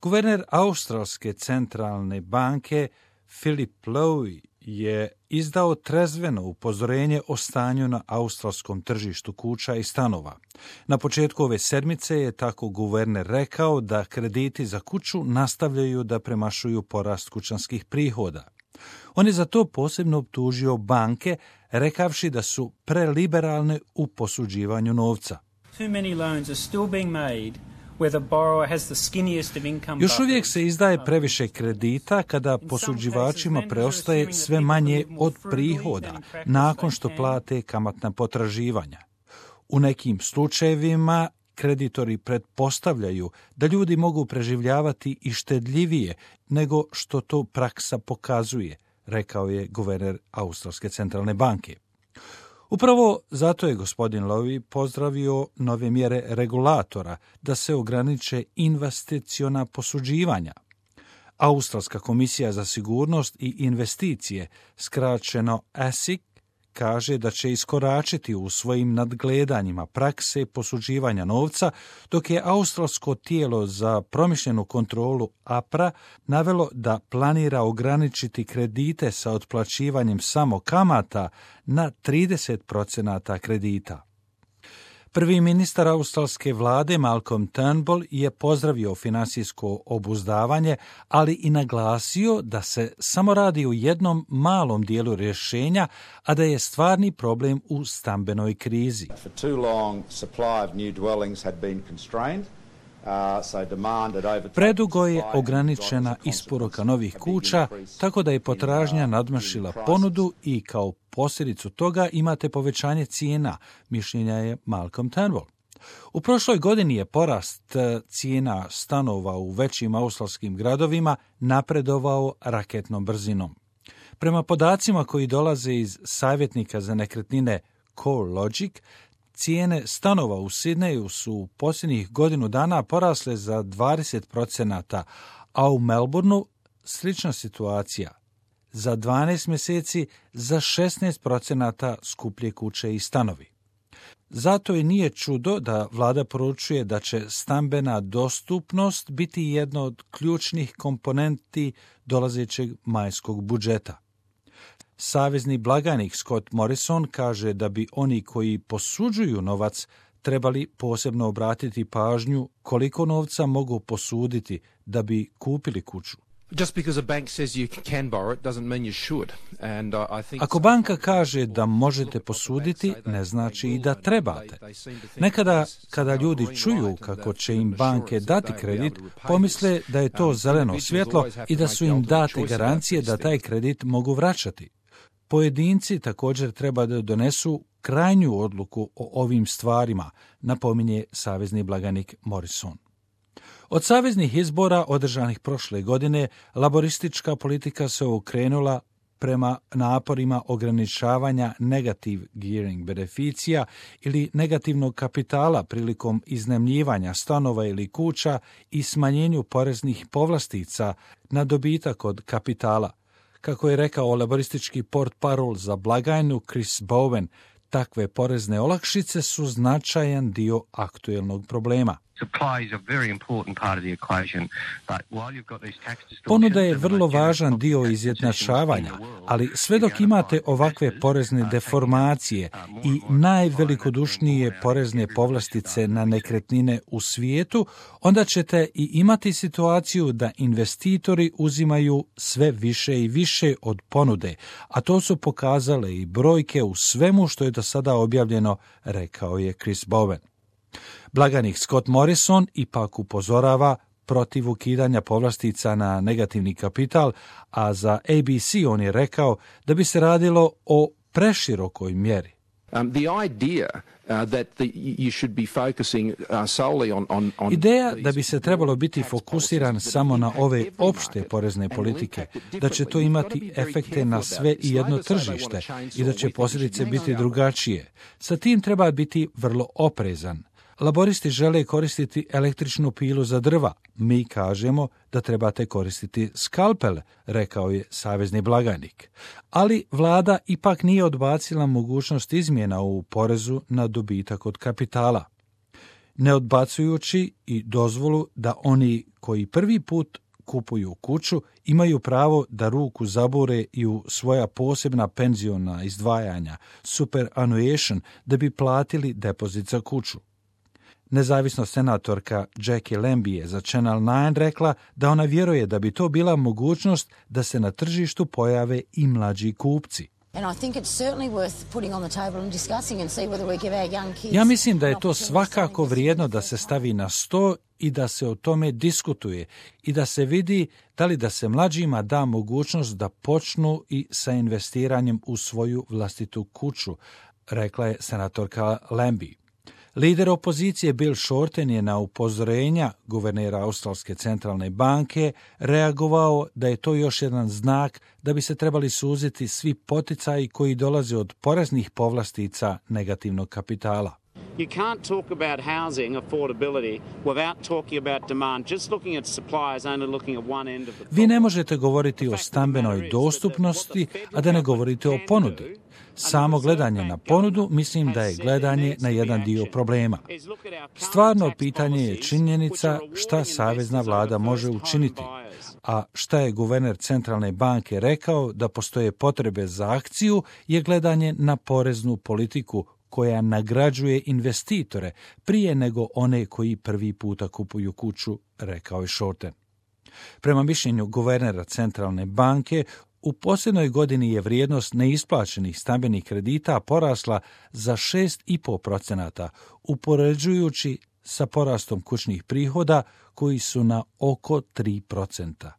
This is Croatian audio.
Guverner Australske centralne banke Philip Lowe je izdao trezveno upozorenje o stanju na australskom tržištu kuća i stanova. Na početku ove sedmice je tako guverner rekao da krediti za kuću nastavljaju da premašuju porast kućanskih prihoda. On je za to posebno optužio banke, rekavši da su preliberalne u posuđivanju novca. Još uvijek se izdaje previše kredita kada posuđivačima preostaje sve manje od prihoda nakon što plate kamatna potraživanja. U nekim slučajevima kreditori pretpostavljaju da ljudi mogu preživljavati i štedljivije nego što to praksa pokazuje, rekao je guverner Australske centralne banke. Upravo zato je gospodin Lowe pozdravio nove mjere regulatora da se ograniče investiciona posuđivanja. Australska komisija za sigurnost i investicije, skraćeno ASIC, kaže da će iskoračiti u svojim nadgledanjima prakse posuđivanja novca, dok je australsko tijelo za promišljenu kontrolu APRA navelo da planira ograničiti kredite sa otplaćivanjem samo kamata na 30% kredita. Prvi ministar australske vlade Malcolm Turnbull je pozdravio finansijsko obuzdavanje, ali i naglasio da se samo radi o jednom malom dijelu rješenja, a da je stvarni problem u stambenoj krizi. Predugo je ograničena isporuka novih kuća, tako da je potražnja nadmašila ponudu i kao posljedicu toga imate povećanje cijena, mišljenja je Malcolm Turnbull. U prošloj godini je porast cijena stanova u većim australskim gradovima napredovao raketnom brzinom. Prema podacima koji dolaze iz savjetnika za nekretnine CoreLogic, cijene stanova u Sidneju su u posljednjih godinu dana porasle za 20%, a u Melbourneu slična situacija. Za 12 mjeseci za 16% skuplje kuće i stanovi. Zato i nije čudo da vlada poručuje da će stambena dostupnost biti jedna od ključnih komponenti dolazećeg majskog budžeta. Savezni blagajnik Scott Morrison kaže da bi oni koji posuđuju novac trebali posebno obratiti pažnju koliko novca mogu posuditi da bi kupili kuću. Ako banka kaže da možete posuditi, ne znači i da trebate. Nekada, kada ljudi čuju kako će im banke dati kredit, pomisle da je to zeleno svjetlo i da su im date garancije da taj kredit mogu vraćati. Pojedinci također treba da donesu krajnju odluku o ovim stvarima, napominje savezni blagajnik Morrison. Od saveznih izbora održanih prošle godine, laboristička politika se okrenula prema naporima ograničavanja negative gearing beneficija ili negativnog kapitala prilikom iznajmljivanja stanova ili kuća i smanjenju poreznih povlastica na dobitak od kapitala. Kako je rekao laboristički portparol za blagajnu Chris Bowen, takve porezne olakšice su značajan dio aktuelnog problema. Ponuda je vrlo važan dio izjednačavanja, ali sve dok imate ovakve porezne deformacije i najvelikodušnije porezne povlastice na nekretnine u svijetu, onda ćete i imati situaciju da investitori uzimaju sve više i više od ponude, a to su pokazale i brojke u svemu što je do sada objavljeno, rekao je Chris Bowen. Blagajnik Scott Morrison ipak upozorava protiv ukidanja povlastica na negativni kapital, a za ABC on je rekao da bi se radilo o preširokoj mjeri. Ideja da bi se trebalo biti fokusiran samo na ove opšte porezne politike, da će to imati efekte na sve i jedno tržište i da će posljedice biti drugačije. Sa tim treba biti vrlo oprezan. Laboristi žele koristiti električnu pilu za drva. Mi kažemo da trebate koristiti skalpel, rekao je savezni blagajnik. Ali vlada ipak nije odbacila mogućnost izmjena u porezu na dobitak od kapitala. Ne odbacujući i dozvolu da oni koji prvi put kupuju kuću imaju pravo da ruku zabure i u svoja posebna penziona izdvajanja, superannuation, da bi platili depozit za kuću. Nezavisna senatorka Jackie Lambie je za Channel 9 rekla da ona vjeruje da bi to bila mogućnost da se na tržištu pojave i mlađi kupci. Ja mislim da je to svakako vrijedno da se stavi na sto i da se o tome diskutuje i da se vidi da li da se mlađima da mogućnost da počnu i sa investiranjem u svoju vlastitu kuću, rekla je senatorka Lambie. Lider opozicije Bill Shorten je na upozorenja guvernera Australske centralne banke reagovao da je to još jedan znak da bi se trebali suziti svi poticaji koji dolaze od poreznih povlastica negativnog kapitala. You can't talk about housing affordability without talking about demand. Just looking at supply is only looking at one end of the problem. Vi ne možete govoriti o stambenoj dostupnosti, a da ne govorite o ponudi. Samo gledanje na ponudu mislim da je gledanje na jedan dio problema. Stvarno pitanje je činjenica šta savezna vlada može učiniti, a šta je guverner centralne banke rekao da postoje potrebe za akciju je gledanje na poreznu politiku koja nagrađuje investitore prije nego one koji prvi puta kupuju kuću, rekao je Shorten. Prema mišljenju guvernera centralne banke, u posljednoj godini je vrijednost neisplaćenih stambenih kredita porasla za 6,5%, upoređujući sa porastom kućnih prihoda koji su na oko 3%.